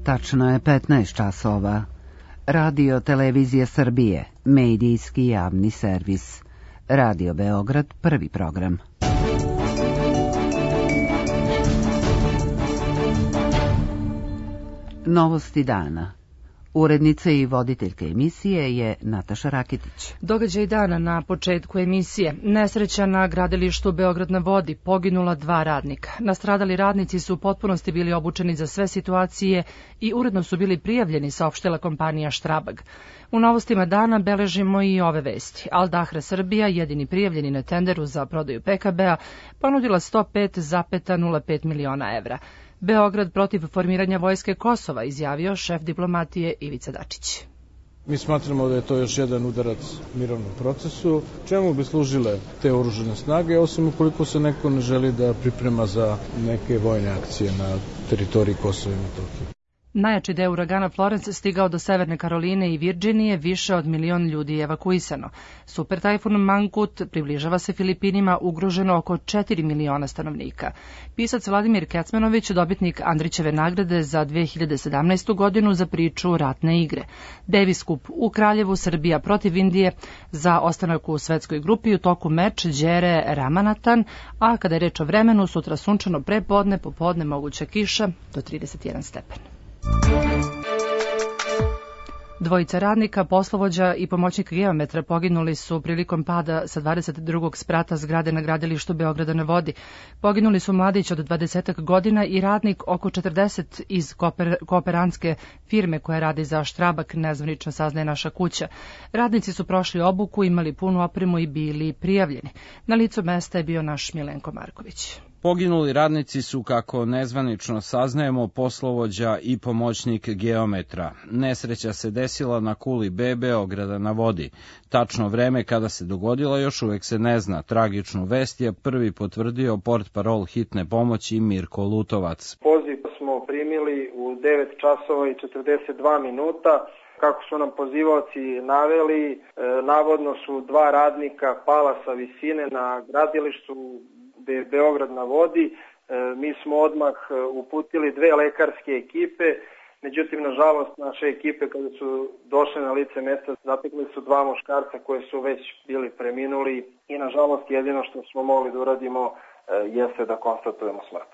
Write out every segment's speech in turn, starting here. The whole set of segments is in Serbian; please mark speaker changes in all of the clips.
Speaker 1: Tačno je 15 časova. Radio Televizije Srbije, medijski javni servis. Radio Beograd, prvi program. Novosti dana. Urednica i voditeljka emisije je Nataša Rakitić.
Speaker 2: Događaj dana na početku emisije. Nesreća na gradilištu Beograd na vodi, poginula 2 radnika. Nastradali radnici su u potpunosti bili obučeni za sve situacije i uredno su bili prijavljeni, saopštila kompanija Štrabag. U novostima dana beležimo i ove vesti. Al Dahra Srbija, jedini prijavljeni na tenderu za prodaju PKB-a, ponudila 105,05 miliona evra. Beograd protiv formiranja vojske Kosova, izjavio šef diplomatije Ivica Dačić.
Speaker 3: Mi smatramo da je to još jedan udarac mirovnom procesu. Čemu bi služile te oružane snage, osim ukoliko se neko ne želi da priprema za neke vojne akcije na teritoriji Kosova i Metohije?
Speaker 2: Najjači deo uragana Florence stigao do Severne Karoline i Virdžinije, više od 1 milion ljudi je evakuisano. Super tajfun Mangkut približava se Filipinima, ugroženo oko 4 miliona stanovnika. Pisac Vladimir Kecmanović, dobitnik Andrićeve nagrade za 2017. godinu za priču Ratne igre. Davis Cup u Kraljevu, Srbija protiv Indije, za ostanak u svetskoj grupi u toku meč Đere Ramanathan, a kada je reč o vremenu, sutra sunčano prepodne, popodne moguća kiša do 31 stepen. Dvojica radnika, poslovođa i pomoćnik geometra poginuli su prilikom pada sa 22. sprata zgrade na gradilištu Beograda na vodi. Poginuli su mladić od 20 godina i radnik oko 40 iz kooperantske firme koja radi za Štrabak, nezvanično saznaje Naša kuća. Radnici su prošli obuku, imali punu opremu i bili prijavljeni. Na licu mesta je bio naš Milenko Marković.
Speaker 4: Poginuli radnici su, kako nezvanično saznajemo, poslovođa i pomoćnik geometra. Nesreća se desila na kuli B Beograda na vodi. Tačno vreme kada se dogodila još uvek se ne zna. Tragičnu vest je prvi potvrdio portparol hitne pomoći Mirko Lutovac.
Speaker 5: Poziv smo primili u 9 časova i 42 minuta. Kako su nam pozivaoci naveli, navodno su 2 radnika pala sa visine na gradilištu Beograd na vodi. Mi smo odmah uputili 2 lekarske ekipe, međutim, nažalost, naše ekipe kada su došle na lice mesta zatekli su 2 muškarca koje su već bili preminuli i nažalost jedino što smo mogli da uradimo jeste da konstatujemo smrt.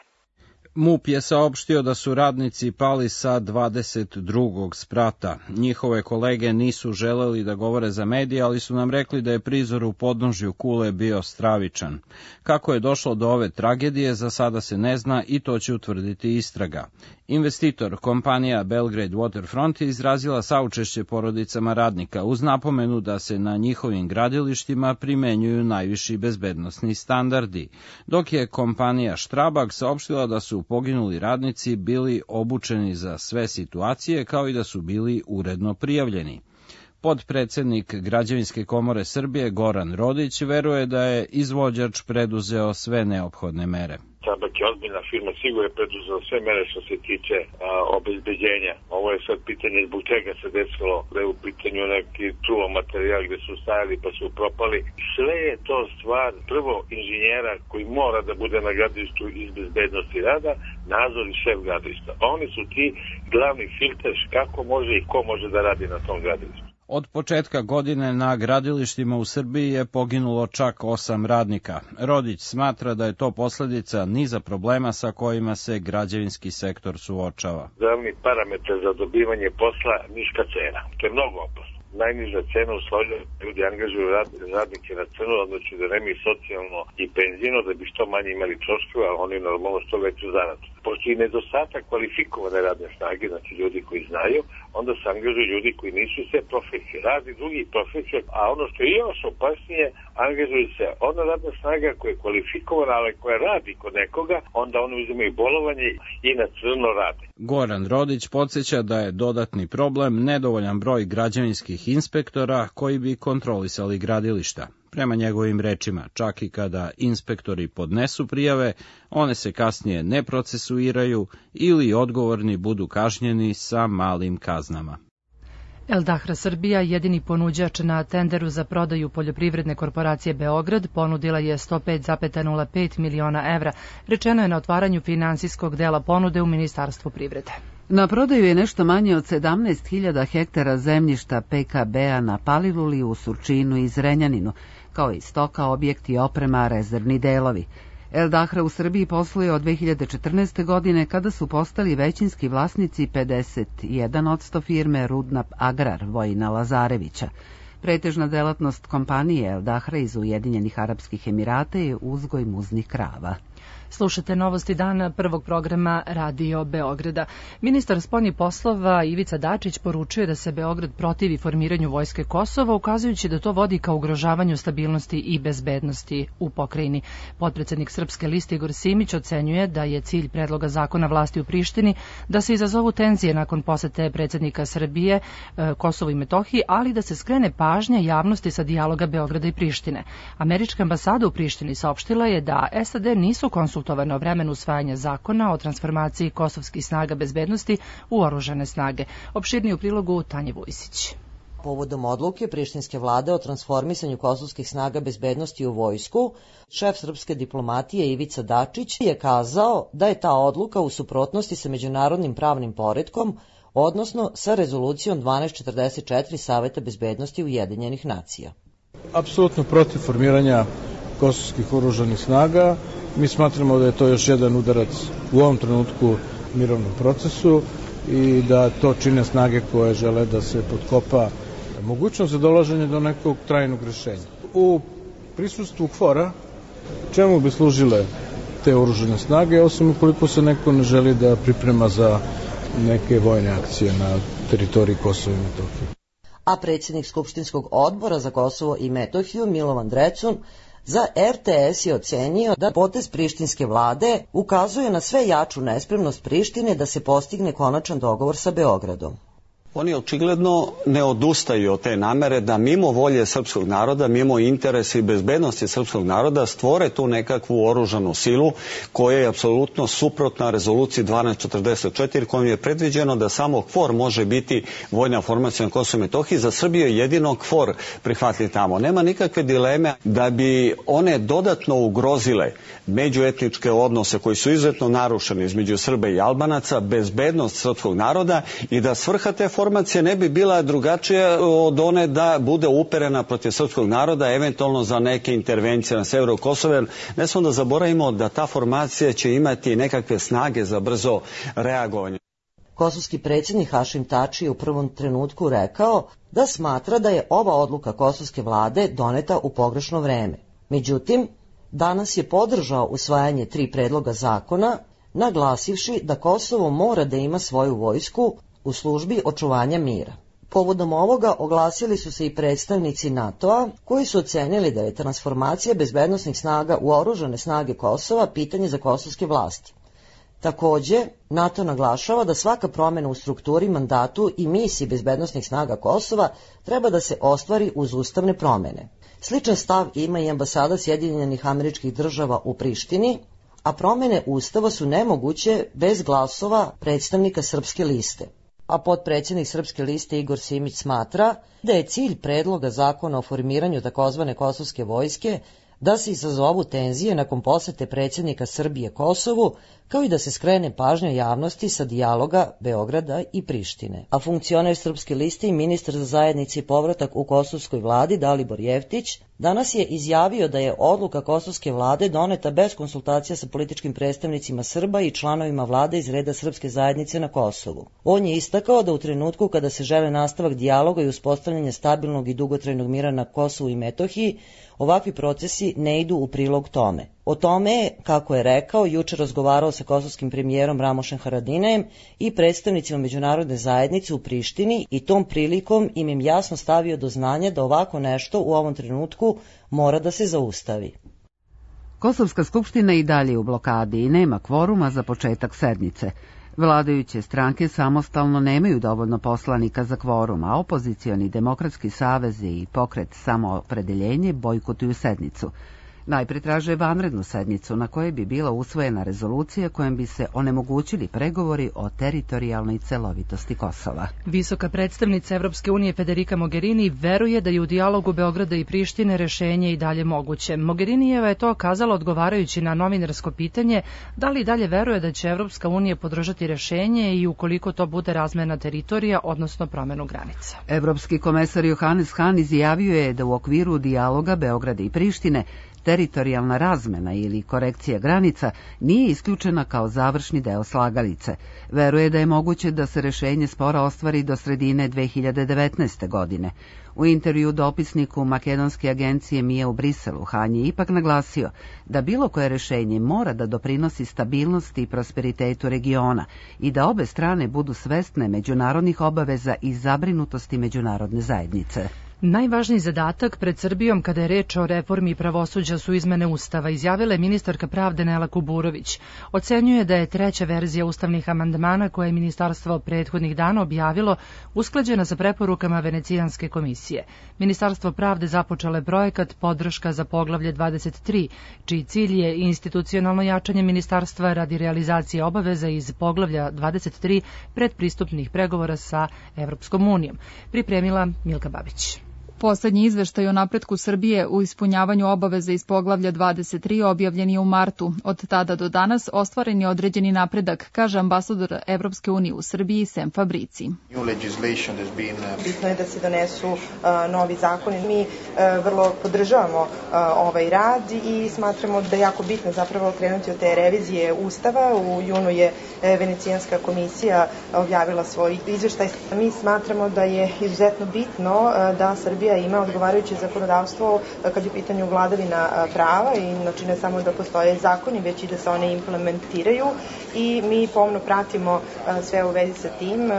Speaker 4: MUP je saopštio da su radnici pali sa 22. sprata. Njihove kolege nisu želeli da govore za medije, ali su nam rekli da je prizor u podnožju kule bio stravičan. Kako je došlo do ove tragedije, za sada se ne zna i to će utvrditi istraga. Investitor, kompanija Belgrade Waterfront, je izrazila saučešće porodicama radnika uz napomenu da se na njihovim gradilištima primenjuju najviši bezbednosni standardi, dok je kompanija Štrabag saopštila da su poginuli radnici bili obučeni za sve situacije kao i da su bili uredno prijavljeni. Podpredsednik Građevinske komore Srbije Goran Rodić veruje da je izvođač preduzeo sve neophodne mere.
Speaker 6: Štrabag je ozbiljna firma, sigurno je preduzela sve mere što se tiče obezbeđenja. Ovo je sad pitanje zbog čega se desilo, da je u pitanju neki čulo materijal gde su stajali pa su propali. Sve je to stvar prvo inženjera koji mora da bude na gradilištu iz bezbednosti rada, nadzor i šef gradilišta. Oni su ti glavni filter kako može i ko može da radi na tom gradilištu.
Speaker 4: Od početka godine na gradilištima u Srbiji je poginulo čak 8 radnika. Rodić smatra da je to posledica niza problema sa kojima se građevinski sektor suočava.
Speaker 6: Glavni parametar za dobivanje posla niska cena. To je mnogo opasno. Najniža cena uslovlja ljudi angažuju radnike na crno, znači da nemaju socijalno i penzijno, da bi što manje imali troškove, a oni normalno što veću zaradu. Postoji nedostatak kvalifikovane radne snage, znači ljudi koji znaju, onda se angažuju ljudi koji nisu sve profesije, radi drugih profesija, a ono što je još opasnije, angažuju se ona radna snaga koja je kvalifikovana, ali koja radi kod nekoga, onda oni uzimaju bolovanje i na crno rade.
Speaker 4: Goran Rodić podsjeća da je dodatni problem nedovoljan broj građevinskih inspektora koji bi kontrolisali gradilišta. Prema njegovim rečima, čak i kada inspektori podnesu prijave, one se kasnije ne procesuiraju ili odgovorni budu kažnjeni sa malim kaznama.
Speaker 2: Al Dahra Srbija, jedini ponuđač na tenderu za prodaju poljoprivredne korporacije Beograd, ponudila je 105,05 miliona evra, rečeno je na otvaranju finansijskog dela ponude u Ministarstvu privrede.
Speaker 1: Na prodaju je nešto manje od 17.000 hektara zemljišta PKB-a na Paliluli, u Surčinu i Zrenjaninu, kao i stoka, objekti, oprema, rezervni delovi. El Dahra u Srbiji posluje od 2014. godine, kada su postali većinski vlasnici 51% firme Rudnap Agrar Vojina Lazarevića. Pretežna delatnost kompanije El Dahra iz Ujedinjenih Arapskih Emirata je uzgoj muznih krava.
Speaker 2: Slušate novosti dana prvog programa Radio Beograda. Ministar spoljnih poslova Ivica Dačić poručuje da se Beograd protivi formiranju vojske Kosova, ukazujući da to vodi ka ugrožavanju stabilnosti i bezbednosti u pokrajini. Potpredsednik Srpske liste Igor Simić ocenjuje da je cilj predloga zakona vlasti u Prištini da se izazovu tenzije nakon posete predsjednika Srbije Kosovu i Metohiji, ali da se skrene pažnja javnosti sa dijaloga Beograda i Prištine. Američka ambasada u Prištini saopštila je da SAD nisu konsultovane o vremenu usvajanja zakona o transformaciji kosovskih snaga bezbednosti u oružane snage. Opširniji u prilogu Tanje Vujsić.
Speaker 7: Povodom odluke prištinske vlade o transformisanju kosovskih snaga bezbednosti u vojsku, šef srpske diplomatije Ivica Dačić je kazao da je ta odluka u suprotnosti sa međunarodnim pravnim poretkom, odnosno sa rezolucijom 1244 Saveta bezbednosti Ujedinjenih nacija.
Speaker 3: Apsolutno protiv formiranja kosovskih oružanih snaga. Mi smatramo da je to još jedan udarac u ovom trenutku mirovnom procesu i da to čine snage koje žele da se potkopa mogućnost za dolaženje do nekog trajnog rešenja. U prisustvu KFOR-a čemu bi služile te oružane snage, osim ukoliko se neko ne želi da priprema za neke vojne akcije na teritoriji Kosova i Metohije.
Speaker 7: A predsjednik Skupštinskog odbora za Kosovo i Metohiju Milovan Drecun za RTS je ocenio da potez prištinske vlade ukazuje na sve jaču nespremnost Prištine da se postigne konačan dogovor sa Beogradom.
Speaker 8: Oni očigledno ne odustaju od te namere da mimo volje srpskog naroda, mimo interesa i bezbednosti srpskog naroda stvore tu nekakvu oružanu silu koja je apsolutno suprotna rezoluciji 1244 kojom je predviđeno da samo KFOR može biti vojna formacija na Kosovu i Metohiji. Za Srbiju je jedino KFOR prihvatljiv tamo. Nema nikakve dileme da bi one dodatno ugrozile međuetničke odnose koji su izuzetno narušeni između Srba i Albanaca, bezbednost srpskog naroda i da svrha te formacije ne bi bila drugačija od one da bude uperena protiv srpskog naroda, eventualno za neke intervencije na severu Kosova. Ne smo da zaboravimo da ta formacija će imati nekakve snage za brzo reagovanje.
Speaker 7: Kosovski predsjednik Hašim Tači je u prvom trenutku rekao da smatra da je ova odluka kosovske vlade doneta u pogrešno vreme. Međutim, danas je podržao usvajanje 3 predloga zakona, naglasivši da Kosovo mora da ima svoju vojsku u službi očuvanja mira. Povodom ovoga oglasili su se i predstavnici NATO-a, koji su ocenili da je transformacija bezbednosnih snaga u oružane snage Kosova pitanje za kosovske vlasti. Takođe, NATO naglašava da svaka promjena u strukturi, mandatu i misiji bezbednosnih snaga Kosova treba da se ostvari uz ustavne promjene. Sličan stav ima i ambasada Sjedinjenih Američkih Država u Prištini, a promjene ustava su nemoguće bez glasova predstavnika Srpske liste. A potpredsjednik Srpske liste Igor Simić smatra da je cilj predloga zakona o formiranju takozvane kosovske vojske da se izazovu tenzije nakon posete predsjednika Srbije Kosovu, kao i da se skrene pažnja javnosti sa dijaloga Beograda i Prištine. A funkcioner Srpske liste i ministar za zajednici i povratak u kosovskoj vladi Dalibor Jeftić danas je izjavio da je odluka kosovske vlade doneta bez konsultacija sa političkim predstavnicima Srba i članovima vlade iz reda srpske zajednice na Kosovu. On je istakao da u trenutku kada se žele nastavak dijaloga i uspostavljanje stabilnog i dugotrajnog mira na Kosovu i Metohiji, ovakvi procesi ne idu u prilog tome. O tome je, kako je rekao, juče razgovarao sa kosovskim premijerom Ramošem Haradinajem i predstavnicima međunarodne zajednice u Prištini i tom prilikom im jasno stavio do znanja da ovako nešto u ovom trenutku mora da se zaustavi.
Speaker 1: Kosovska skupština i dalje u blokadi i nema kvoruma za početak sednice. Vladajuće stranke samostalno nemaju dovoljno poslanika za kvorum, a opozicioni Demokratski savez i pokret Samoopredeljenje bojkotuju sednicu. Najpre traže vanrednu sednicu na kojoj bi bila usvojena rezolucija kojom bi se onemogućili pregovori o teritorijalnoj celovitosti Kosova.
Speaker 2: Visoka predstavnica Evropske unije Federica Mogherini veruje da je u dijalogu Beograda i Prištine rešenje i dalje moguće. Mogherinijeva je to kazala odgovarajući na novinarsko pitanje da li dalje veruje da će Evropska unija podržati rešenje i ukoliko to bude razmena teritorija, odnosno promenu granica.
Speaker 1: Evropski komesar Johannes Hahn izjavio je da u okviru dijaloga Beograda i Prištine teritorijalna razmena ili korekcija granica nije isključena kao završni deo slagalice. Veruje da je moguće da se rešenje spora ostvari do sredine 2019. godine. U intervju dopisniku makedonske agencije Mije u Briselu, Hahn je ipak naglasio da bilo koje rešenje mora da doprinosi stabilnosti i prosperitetu regiona i da obe strane budu svesne međunarodnih obaveza i zabrinutosti međunarodne zajednice.
Speaker 2: Najvažniji zadatak pred Srbijom kada je reč o reformi pravosuđa su izmene Ustava, izjavila je ministarka pravde Nela Kuburović. Ocenjuje da je treća verzija ustavnih amandmana koje je ministarstvo prethodnih dana objavilo usklađena sa preporukama Venecijanske komisije. Ministarstvo pravde započelo je projekat Podrška za poglavlje 23, čiji cilj je institucionalno jačanje ministarstva radi realizacije obaveza iz poglavlja 23 predpristupnih pregovora sa Evropskom unijom. Pripremila Milka Babić.
Speaker 9: Poslednji izveštaj o napretku Srbije u ispunjavanju obaveza iz poglavlja 23 objavljen je u martu. Od tada do danas ostvaren je određeni napredak, kaže ambasador Evropske unije u Srbiji Sem Fabrici.
Speaker 10: Bitno je da se donesu novi zakoni. Mi vrlo podržavamo ovaj rad i smatramo da je jako bitno zapravo krenuti od te revizije Ustava. U junu je Venecijanska komisija objavila svoj izveštaj. Mi smatramo da je izuzetno bitno da Srbija ima odgovarajuće zakonodavstvo kad je u pitanju vladavina prava i znači ne samo da postoje zakoni, već i da se one implementiraju i mi pomno pratimo sve u vezi sa tim.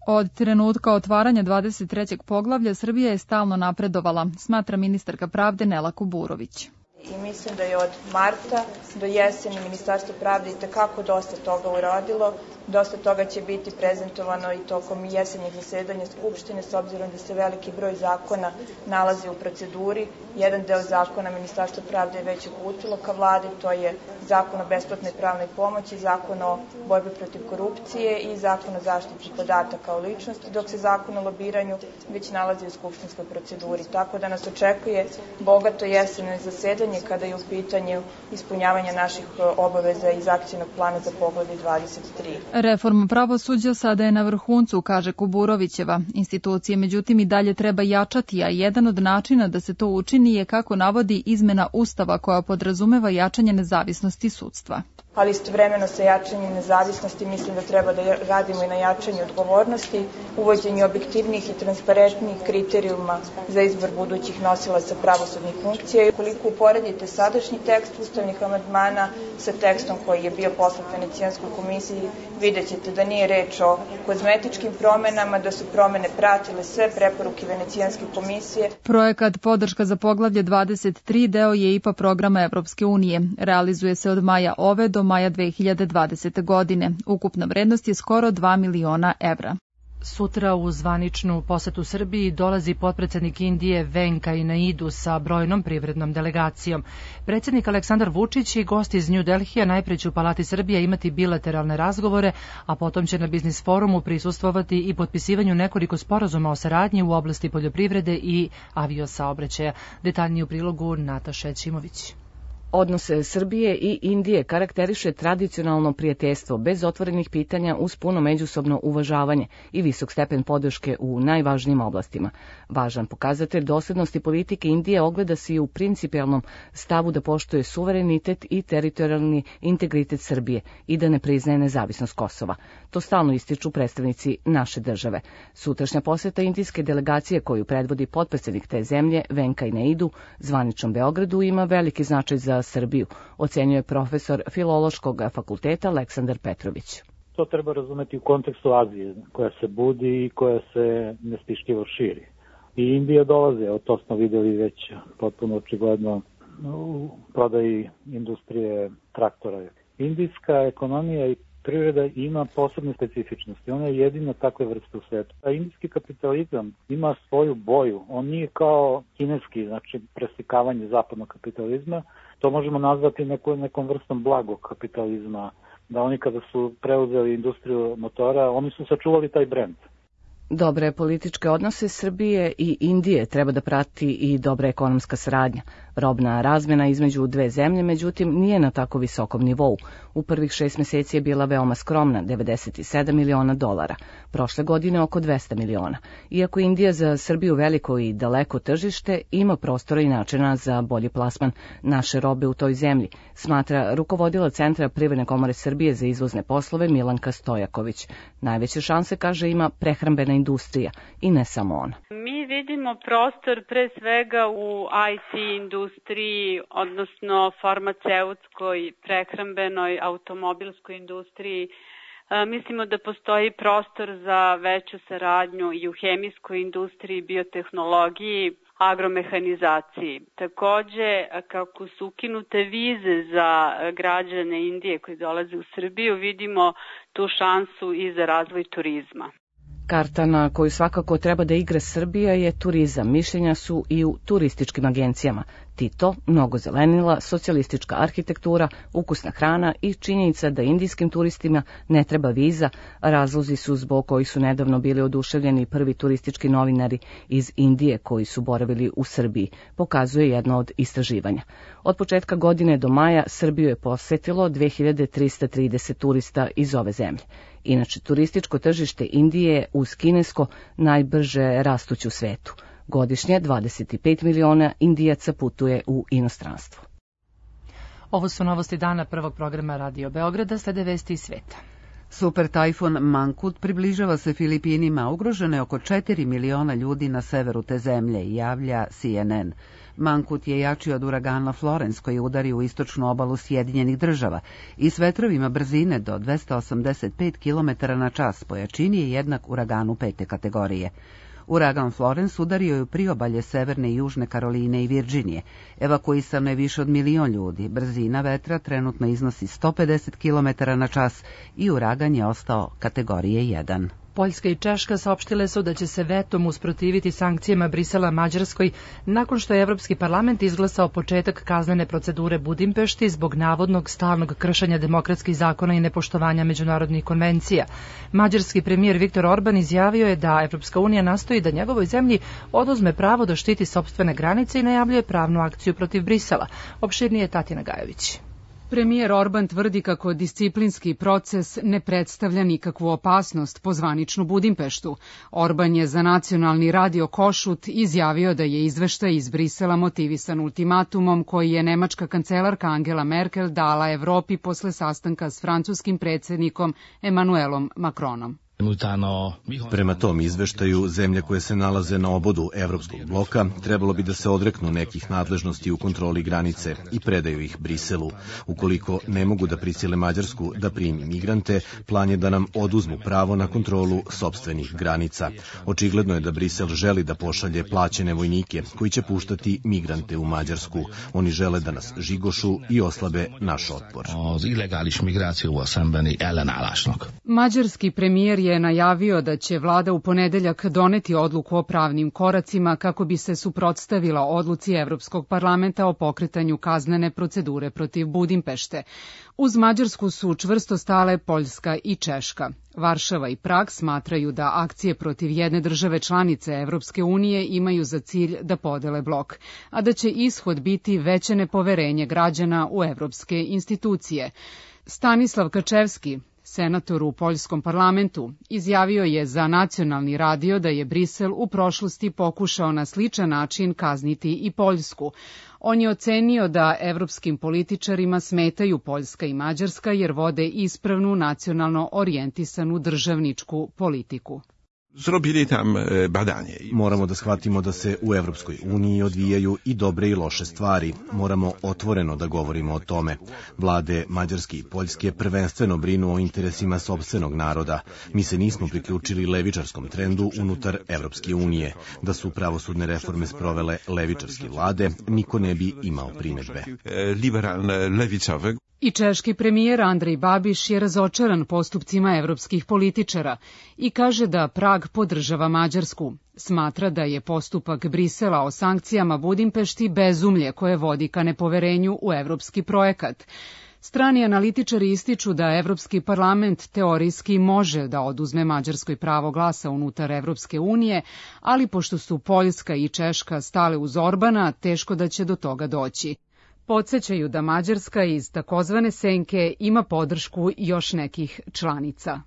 Speaker 9: Od trenutka otvaranja 23. poglavlja Srbija je stalno napredovala, smatra ministarka pravde Nela Kuburović.
Speaker 10: I mislim da je od marta do jeseni Ministarstvo pravde i tekako dosta toga uradilo. Dosta toga će biti prezentovano i tokom jesenjeg zasedanja Skupštine, s obzirom da se veliki broj zakona nalazi u proceduri. Jedan deo zakona Ministarstvo pravde je već uputilo ka vladi, to je Zakon o besplatnoj pravnoj pomoći, Zakon o borbi protiv korupcije i Zakon o zaštiti podataka o ličnosti, dok se Zakon o lobiranju već nalazi u skupštinskoj proceduri. Tako da nas očekuje bogato jesenje zasedanje kada je u pitanju ispunjavanja naših obaveza iz akcijnog plana za poglavlje 23.
Speaker 9: Reforma pravosuđa sada je na vrhuncu, kaže Kuburovićeva. Institucije, međutim, i dalje treba jačati, a jedan od načina da se to učini je, kako navodi, izmena Ustava koja podrazumeva jačanje nezavisnosti sudstva.
Speaker 10: Ali istovremeno sa jačanjem nezavisnosti mislim da treba da radimo i na jačanju odgovornosti, uvođenju objektivnih i transparentnih kriterijuma za izbor budućih nosilaca pravosudnih funkcija. Ukoliko uporedite sadašnji tekst ustavnih amandmana sa tekstom koji je bio poslat Venecijanskoj komisiji, vidjet ćete da nije reč o kozmetičkim promenama, da su promene pratile sve preporuke Venecijanske komisije.
Speaker 9: Projekat Podrška za poglavlje 23 deo je IPA programa Evropske unije. Realizuje se od maja ove do maja 2020. godine. Ukupna vrednost je skoro 2 miliona evra.
Speaker 2: Sutra u zvaničnu posetu Srbiji dolazi potpredsednik Indije Venkaj Naidu sa brojnom privrednom delegacijom. Predsjednik Aleksandar Vučić i gosti iz New Delhija najpre će u Palati Srbije imati bilateralne razgovore, a potom će na biznis forumu prisustvovati i potpisivanju nekoliko sporazuma o saradnji u oblasti poljoprivrede i aviosaobraćaja. Detaljnije u prilogu Nataša Ćimović.
Speaker 11: Odnose Srbije i Indije karakteriše tradicionalno prijateljstvo bez otvorenih pitanja uz puno međusobno uvažavanje i visok stepen podrške u najvažnijim oblastima. Važan pokazatelj doslednosti politike Indije ogleda se i u principijelnom stavu da poštuje suverenitet i teritorijalni integritet Srbije i da ne priznaje nezavisnost Kosova. To stalno ističu predstavnici naše države. Sutrašnja poseta indijske delegacije koju predvodi potpredsednik te zemlje Venkaj Naidu zvaničnom Beogradu ima veliki značaj za Srbiju, ocenjuje profesor Filološkog fakulteta Aleksandar Petrović.
Speaker 12: To treba razumeti u kontekstu Azije, koja se budi i koja se nestišljivo širi. I Indija dolaze, to smo videli već potpuno očigledno u prodaji industrije traktora. Indijska ekonomija i privreda ima posebne specifičnosti. Ona je jedina takve vrste u svetu. A indijski kapitalizam ima svoju boju. On nije kao kineski, znači preslikavanje zapadnog kapitalizma. To možemo nazvati nekom vrstom blagog kapitalizma. Da oni kada su preuzeli industriju motora, oni su sačuvali taj brend.
Speaker 11: Dobre političke odnose Srbije i Indije treba da prati i dobra ekonomska saradnja. Robna razmjena između dve zemlje, međutim, nije na tako visokom nivou. U prvih 6 meseci je bila veoma skromna, $97 miliona. Prošle godine oko 200 miliona. Iako Indija za Srbiju veliko i daleko tržište, ima prostora i načina za bolji plasman naše robe u toj zemlji, smatra rukovodila Centra Privredne komore Srbije za izvozne poslove Milanka Stojaković. Najveće šanse, kaže, ima prehrambena industrija i ne samo ona.
Speaker 13: Mi vidimo prostor pre svega u IT industriji, odnosno farmaceutskoj, prehrambenoj, automobilskoj industriji. Mislimo da postoji prostor za veću saradnju i u hemijskoj industriji, biotehnologiji, agromehanizaciji. Takođe, kako su ukinute vize za građane Indije koji dolaze u Srbiju, vidimo tu šansu i za razvoj turizma.
Speaker 11: Karta na koju svakako treba da igra Srbija je turizam. Mišljenja su i u turističkim agencijama. Tito, mnogo zelenila, socijalistička arhitektura, ukusna hrana i činjenica da indijskim turistima ne treba viza, razlozi su zbog kojih su nedavno bili oduševljeni prvi turistički novinari iz Indije koji su boravili u Srbiji, pokazuje jedno od istraživanja. Od početka godine do maja Srbiju je posetilo 2330 turista iz ove zemlje. Inače, turističko tržište Indije je uz kinesko najbrže rastuće u svetu. Godišnje 25 miliona Indijaca putuje u inostranstvo.
Speaker 2: Ovo su novosti dana prvog programa Radio Beograda, slede vesti iz sveta.
Speaker 1: Super tajfun Mangkhut približava se Filipinima, ugroženo je oko 4 miliona ljudi na severu te zemlje, javlja CNN. Mangkhut je jači od uragana Florence koji udari u istočnu obalu Sjedinjenih Država i s vetrovima brzine do 285 km na čas po jačini je jednak uraganu 5. kategorije. Uragan Florence udario je u priobalje Severne i Južne Karoline i Virdžinije. Evakuisano je više od 1 milion ljudi. Brzina vetra trenutno iznosi 150 km na čas i uragan je ostao kategorije 1.
Speaker 2: Poljska i Češka saopštile su da će se vetom usprotiviti sankcijama Brisela Mađarskoj nakon što je Evropski parlament izglasao početak kaznene procedure Budimpešti zbog navodnog stalnog kršenja demokratskih zakona i nepoštovanja međunarodnih konvencija. Mađarski premijer Viktor Orban izjavio je da Evropska unija nastoji da njegovoj zemlji oduzme pravo da štiti sopstvene granice i najavljuje pravnu akciju protiv Brisela. Opširnije Tatina Gajović.
Speaker 14: Premijer Orban tvrdi kako disciplinski proces ne predstavlja nikakvu opasnost po zvaničnu Budimpeštu. Orban je za nacionalni radio Košut izjavio da je izveštaj iz Brisela motivisan ultimatumom koji je nemačka kancelarka Angela Merkel dala Evropi posle sastanka s francuskim predsjednikom Emmanuelom Macronom.
Speaker 15: Prema tom izveštaju, zemlje koje se nalaze na obodu Evropskog bloka trebalo bi da se odreknu nekih nadležnosti u kontroli granice i predaju ih Briselu. Ukoliko ne mogu da prisile Mađarsku da primi migrante, plan je da nam oduzmu pravo na kontrolu sopstvenih granica. Očigledno je da Brisel želi da pošalje plaćene vojnike koji će puštati migrante u Mađarsku. Oni žele da nas žigošu i oslabe naš otpor.
Speaker 14: Mađarski premijer je najavio da će vlada u ponedeljak doneti odluku o pravnim koracima kako bi se suprotstavila odluci Evropskog parlamenta o pokretanju kaznene procedure protiv Budimpešte. Uz Mađarsku su čvrsto stale Poljska i Češka. Varšava i Prag smatraju da akcije protiv jedne države članice Evropske unije imaju za cilj da podele blok, a da će ishod biti veće nepoverenje građana u evropske institucije. Stanislav Kačevski, senator u poljskom parlamentu, izjavio je za nacionalni radio da je Brisel u prošlosti pokušao na sličan način kazniti i Poljsku. On je ocenio da evropskim političarima smetaju Poljska i Mađarska jer vode ispravnu nacionalno orijentisanu državničku politiku.
Speaker 15: Moramo da shvatimo da se u Evropskoj uniji odvijaju i dobre i loše stvari. Moramo otvoreno da govorimo o tome. Vlade Mađarske i Poljske prvenstveno brinu o interesima sopstvenog naroda. Mi se nismo priključili levičarskom trendu unutar Evropske unije. Da su pravosudne reforme sprovele levičarske vlade, niko ne bi imao primedbe.
Speaker 14: I češki premijer Andrej Babiš je razočaran postupcima evropskih političara i kaže da Prag podržava Mađarsku. Smatra da je postupak Brisela o sankcijama Budimpešti bezumlje koje vodi ka nepoverenju u evropski projekat. Strani analitičari ističu da Evropski parlament teorijski može da oduzme Mađarskoj pravo glasa unutar Evropske unije, ali pošto su Poljska i Češka stale uz Orbana, teško da će do toga doći. Podsećaju da Mađarska iz takozvane senke ima podršku još nekih članica.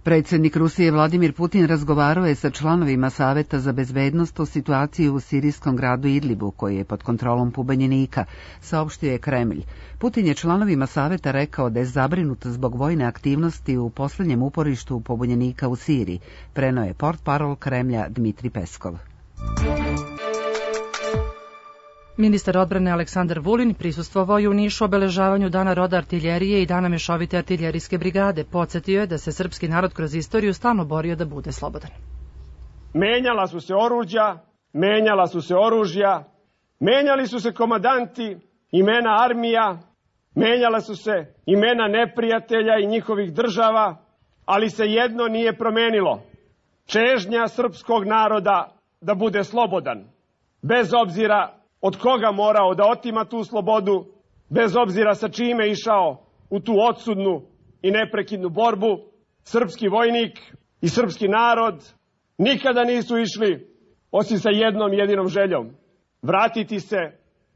Speaker 1: Predsjednik Rusije Vladimir Putin razgovarao je sa članovima Saveta za bezbednost o situaciji u sirijskom gradu Idlibu, koji je pod kontrolom pobunjenika, saopštio je Kremlj. Putin je članovima Saveta rekao da je zabrinut zbog vojne aktivnosti u posljednjem uporištu pobunjenika u Siriji, preneo je portparol Kremlja Dmitri Peskov.
Speaker 2: Ministar odbrane Aleksandar Vulin prisustvovao je u Nišu obeležavanju Dana roda artiljerije i Dana mešovite artiljerijske brigade. Podsjetio je da se srpski narod kroz istoriju stalno borio da bude slobodan.
Speaker 16: Menjala su se oruđa, menjala su se oružja, menjali su se komandanti, imena armija, menjala su se imena neprijatelja i njihovih država, ali se jedno nije promenilo. Čežnja srpskog naroda da bude slobodan, bez obzira od koga morao da otima tu slobodu, bez obzira sa čime išao u tu odsudnu i neprekidnu borbu, srpski vojnik i srpski narod nikada nisu išli osim sa jednom jedinom željom, vratiti se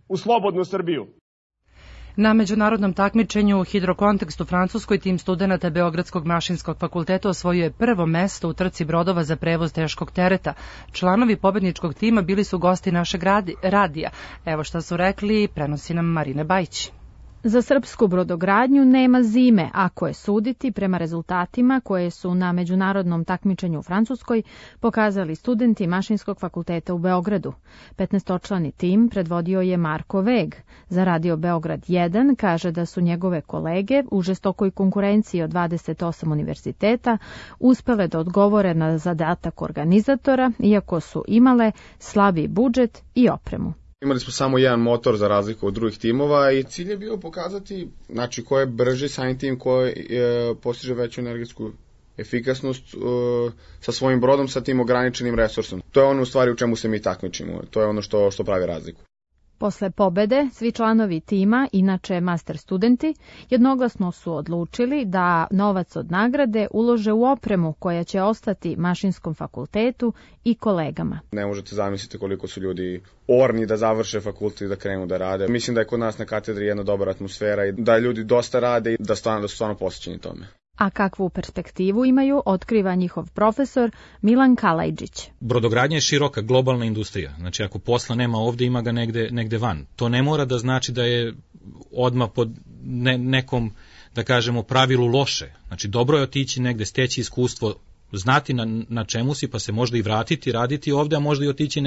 Speaker 16: u slobodnu Srbiju.
Speaker 2: Na međunarodnom takmičenju u hidrokontekstu Francuskoj tim studenata Beogradskog mašinskog fakulteta osvojio je prvo mesto u trci brodova za prevoz teškog tereta. Članovi pobedničkog tima bili su gosti našeg radija. Evo šta su rekli, prenosi nam Marine Bajić.
Speaker 17: Za srpsku brodogradnju nema zime, ako je suditi prema rezultatima koje su na međunarodnom takmičenju u Francuskoj pokazali studenti Mašinskog fakulteta u Beogradu. 15-člani tim predvodio je Marko Veg. Za radio Beograd 1 kaže da su njegove kolege u žestokoj konkurenciji od 28 univerziteta uspele da odgovore na zadatak organizatora, iako su imale slabi budžet i opremu.
Speaker 18: Imali smo samo jedan motor za razliku od drugih timova i cilj je bio pokazati ko je brži, samim tim koji postiže veću energetsku efikasnost sa svojim brodom, sa tim ograničenim resursom. To je ono u stvari u čemu se mi takmičimo, to je ono što pravi razliku.
Speaker 17: Posle pobede, svi članovi tima, inače master studenti, jednoglasno su odlučili da novac od nagrade ulože u opremu koja će ostati Mašinskom fakultetu i kolegama.
Speaker 18: Ne možete zamisliti koliko su ljudi orni da završe fakultet i da krenu da rade. Mislim da je kod nas na katedri jedna dobra atmosfera i da ljudi dosta rade i da su stvarno posvećeni tome.
Speaker 17: A kakvu perspektivu imaju, otkriva njihov profesor Milan Kalajđić.
Speaker 19: Brodogradnja je široka globalna industrija. Znači ako posla nema ovdje, ima ga negde van. To ne mora da znači da je odmah pod nekom, da kažemo, pravilu loše. Znači dobro je otići negde, steći iskustvo, znati na čemu si, pa se možda i vratiti, raditi ovdje, a možda i otići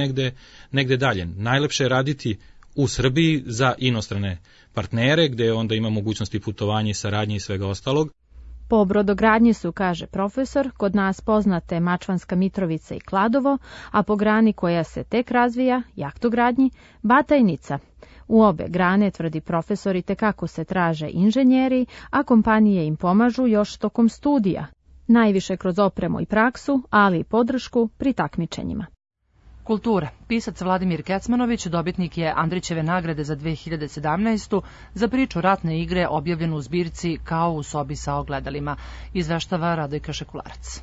Speaker 19: negde dalje. Najlepše je raditi u Srbiji za inostrane partnere, gde onda ima mogućnosti putovanja i saradnje i svega ostalog.
Speaker 17: Po brodogradnji su, kaže profesor, kod nas poznate Mačvanska Mitrovica i Kladovo, a po grani koja se tek razvija, jahtogradnji, Batajnica. U obe grane, tvrdi profesor, itekako se traže inženjeri, a kompanije im pomažu još tokom studija, najviše kroz opremu i praksu, ali i podršku pri takmičenjima.
Speaker 2: Kultura. Pisac Vladimir Kecmanović dobitnik je Andrićeve nagrade za 2017. za priču ratne igre objavljenu u zbirci Kao u sobi sa ogledalima, izveštava Radojka Šekularac.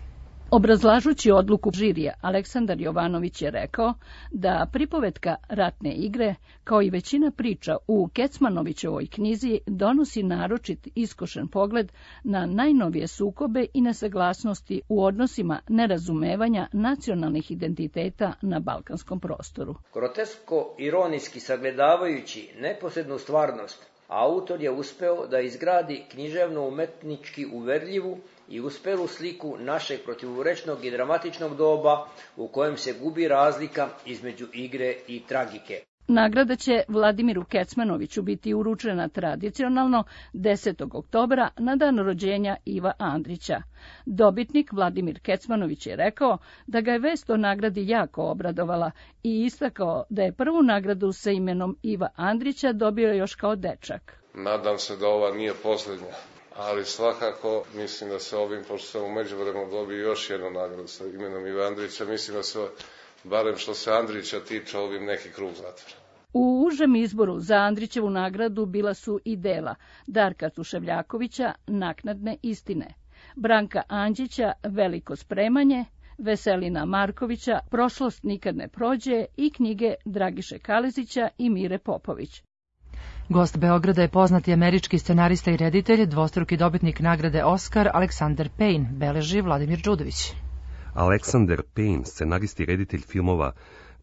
Speaker 20: Obrazlažući odluku žirija, Aleksandar Jovanović je rekao da pripovetka Ratne igre, kao i većina priča u Kecmanovićevoj knjizi, donosi naročit iskošen pogled na najnovije sukobe i nesaglasnosti u odnosima nerazumevanja nacionalnih identiteta na balkanskom prostoru.
Speaker 21: Grotesko-ironijski sagledavajući neposrednu stvarnost, autor je uspeo da izgradi književno-umetnički uverljivu i uspelu sliku našeg protivurečnog i dramatičnog doba u kojem se gubi razlika između igre i tragike.
Speaker 20: Nagrada će Vladimiru Kecmanoviću biti uručena tradicionalno 10. oktobra na dan rođenja Iva Andrića. Dobitnik Vladimir Kecmanović je rekao da ga je vest o nagradi jako obradovala i istakao da je prvu nagradu sa imenom Iva Andrića dobio još kao dečak.
Speaker 5: Nadam se da ova nije poslednja, ali svakako mislim da se ovim, pošto sam u međuvremenu dobio još jednu nagradu sa imenom Ive Andrića, mislim da se, barem što se Andrića tiče, ovim neki krug zatvora.
Speaker 20: U užem izboru za Andrićevu nagradu bila su i dela Darka Tuševljakovića, Naknadne istine, Branka Anđića, Veliko spremanje, Veselina Markovića, Prošlost nikad ne prođe i knjige Dragiše Kalezića i Mire Popović.
Speaker 2: Gost Beograda je poznati američki scenarista i reditelj, dvostruki dobitnik nagrade Oskar Alexander Payne, beleži Vladimir Đudović.
Speaker 22: Alexander Payne, scenarist i reditelj filmova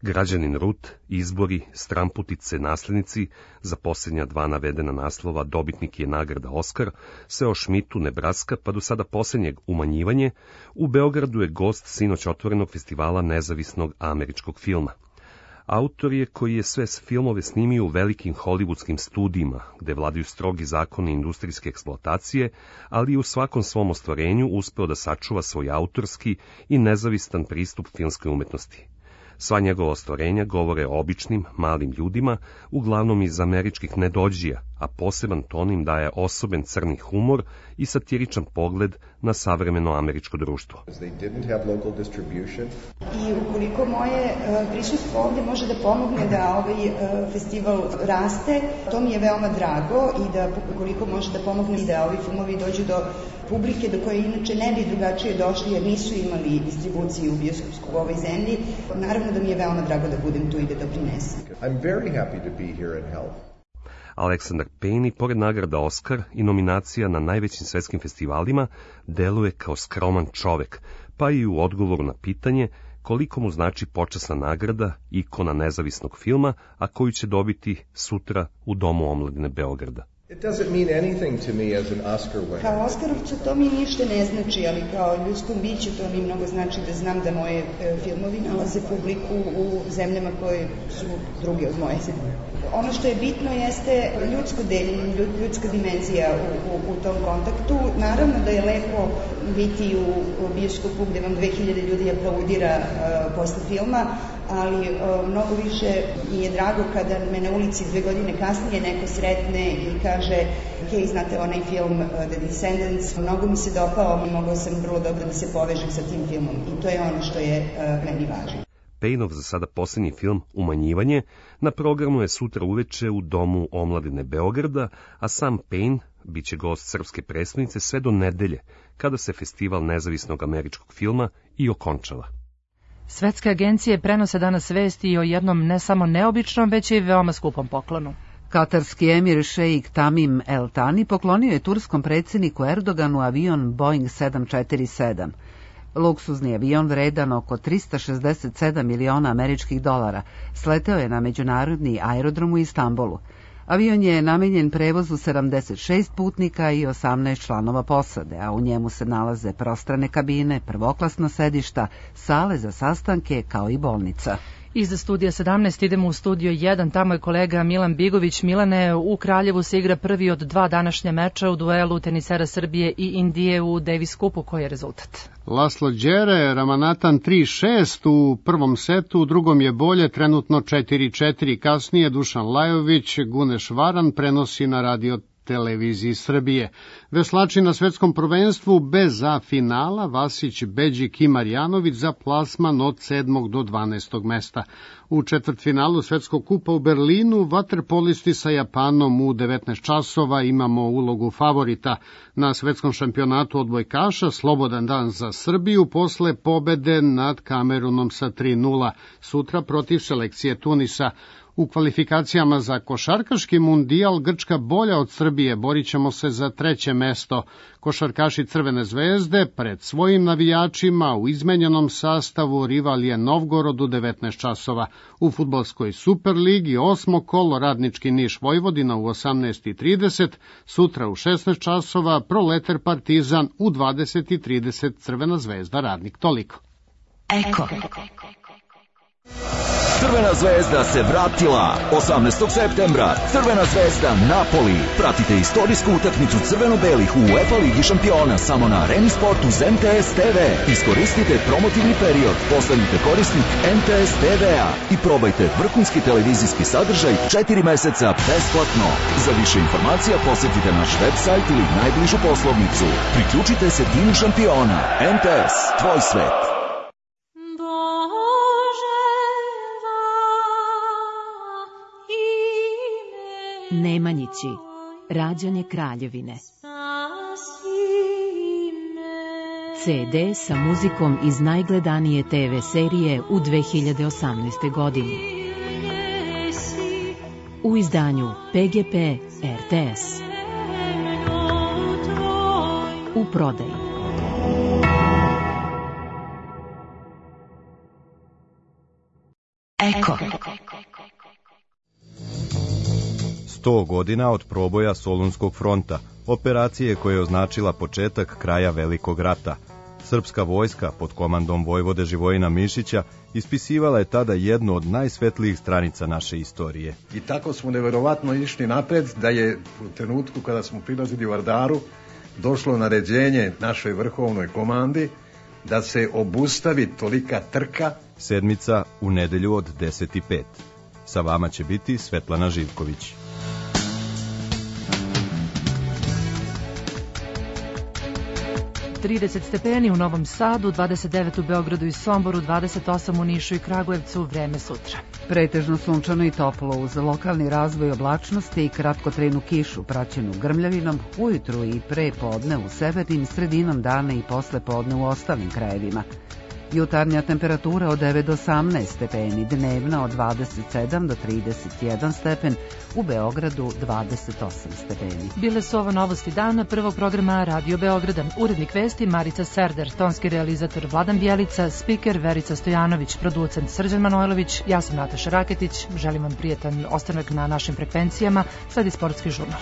Speaker 22: Građanin Rut, Izbori, Stramputice, Naslednici, za posljednja 2 navedena naslova dobitnik je nagrada Oskar, Seo Šmitu, Nebraska, pa do sada posljednjeg Umanjivanje, u Beogradu je gost sinoć otvorenog festivala nezavisnog američkog filma. Autor je koji je sve filmove snimio u velikim hollywoodskim studijima, gde vladaju strogi zakoni industrijske eksploatacije, ali i u svakom svom ostvarenju uspeo da sačuva svoj autorski i nezavistan pristup filmskoj umetnosti. Sva njegova ostvarenja govore o običnim, malim ljudima, uglavnom iz američkih nedođija, a poseban ton im daje osoben crni humor i satiričan pogled na savremeno američko društvo.
Speaker 23: I ukoliko moje prisustvo ovdje može da pomogne da ovaj festival raste, to mi je veoma drago i da ukoliko može da pomogne da ovi filmovi dođu do publike do koje inače ne bi drugačije došli jer nisu imali distribuciju bioskopsku u ovoj zemlji, naravno da mi je veoma drago da budem tu i da doprinesem.
Speaker 22: I'm very happy to be here and help. Alexander Payne, pored nagrada Oskar i nominacija na najvećim svetskim festivalima, deluje kao skroman čovek, pa i u odgovoru na pitanje koliko mu znači počasna nagrada, ikona nezavisnog filma, a koju će dobiti sutra u Domu omladine Beograda.
Speaker 23: Kao Oskarovcu to mi ništa ne znači, ali kao ljudskom biću to mi mnogo znači da znam da moje filmovi nalaze publiku u zemljama koje su druge od moje zemlje. Ono što je bitno jeste ljudsko deljenje, ljudska dimenzija u tom kontaktu. Naravno da je lepo biti u bioskopu gde vam 2000 ljudi aplaudira posle filma, ali mnogo više mi je drago kada me na ulici 2 godine kasnije neko sretne i kaže hej, znate onaj film The Descendants, mnogo mi se dopao i mogao sam vrlo dobro da se povežem sa tim filmom i to je ono što je meni važno.
Speaker 22: Payneov za sada posljednji film Umanjivanje na programu je sutra uveče u Domu omladine Beograda, a sam Payne biće gost srpske prestonice sve do nedelje, kada se festival nezavisnog američkog filma i okončava.
Speaker 2: Svetske agencije prenose danas vesti o jednom ne samo neobičnom, već i veoma skupom poklonu.
Speaker 1: Katarski emir šejik Tamim El Tani poklonio je turskom predsjedniku Erdoganu avion Boeing 747. Luksuzni avion vredan oko 367 miliona američkih dolara sleteo je na međunarodni aerodrom u Istanbulu. Avion je namenjen prevozu 76 putnika i 18 članova posade, a u njemu se nalaze prostrane kabine, prvoklasna sedišta, sale za sastanke kao i bolnica.
Speaker 2: Iz studija 17 idemo u studio 1, tamo je kolega Milan Bigović. Milane, u Kraljevu se igra prvi od 2 današnja meča u duelu tenisera Srbije i Indije u Davis Cupu. Koji je rezultat?
Speaker 24: Laslo Đere, Ramanatan 3-6 u prvom setu, u drugom je bolje, trenutno 4-4. Kasnije Dušan Lajović, Guneš Varan prenosi na radio televiziji Srbije. Veslači na svetskom prvenstvu bez A finala Vasić, Beđik i Marjanović za plasman od 7. do 12. mesta. U četvrtfinalu Svetskog kupa u Berlinu vaterpolisti sa Japanom u 19 časova imamo ulogu favorita. Na svetskom šampionatu odbojkaša slobodan dan za Srbiju posle pobede nad Kamerunom sa 3-0. Sutra protiv selekcije Tunisa. U kvalifikacijama za košarkaški mundijal Grčka bolja od Srbije, borit ćemo se za 3. mesto. Košarkaši Crvene zvezde pred svojim navijačima u izmenjenom sastavu rival je Novgorod u 19 časova. U fudbalskoj Superligi 8. kolo Radnički Niš Vojvodina u 18:30, sutra u 16 časova Proleter Partizan u 20:30 Crvena zvezda Radnik. Toliko. Eko.
Speaker 3: Crvena zvezda se vratila 18. septembra. Crvena zvezda Napoli. Pratite istorijsku utakmicu crveno-belih u UEFA Ligi šampiona samo na Areni Sportu uz MTS TV. Iskoristite promotivni period, postanite korisnik MTS TV-a i probajte vrhunski televizijski sadržaj 4 meseca besplatno. Za više informacija posjetite naš website ili najbližu poslovnicu. Priključite se timu šampiona. MTS, tvoj svet.
Speaker 4: Nemanjići, rađanje Kraljevine. CD sa muzikom iz najgledanije TV serije u 2018. godini. U izdanju PGP RTS. U prodaji.
Speaker 6: Eko.
Speaker 8: 100 godina od proboja Solunskog fronta, operacije koja je označila početak kraja Velikog rata. Srpska vojska pod komandom vojvode Živojina Mišića ispisivala je tada jednu od najsvetlijih stranica naše istorije.
Speaker 25: I tako smo neverovatno išli napred da je u trenutku kada smo prilazili u Ardaru došlo naređenje našoj vrhovnoj komandi da se obustavi tolika trka.
Speaker 8: Sedmica u nedelju od 10:05. Sa vama će biti Svetlana Živković.
Speaker 2: Trideset stepeni u Novom Sadu, 29 u Beogradu i Somboru, 28 u Nišu i Kragujevcu, vreme sutra.
Speaker 1: Pretežno sunčano i toplo uz lokalni razvoj oblačnosti i kratkotrajnu kišu praćenu grmljavinom ujutru i pre podne u severnim, sredinom dana i posle podne u ostalim krajevima. Jutarnja temperatura od 9 do 18 stepeni, dnevna od 27 do 31 stepen, u Beogradu 28 stepeni.
Speaker 2: Bile su ovo novosti dana prvog programa Radio Beograda. Urednik vesti Marica Serder, tonski realizator Vladan Bjelica, spiker Verica Stojanović, producent Srđan Manojlović, ja sam Nataša Raketić. Želim vam prijatan ostanak na našim frekvencijama. Sledi sportski žurnal.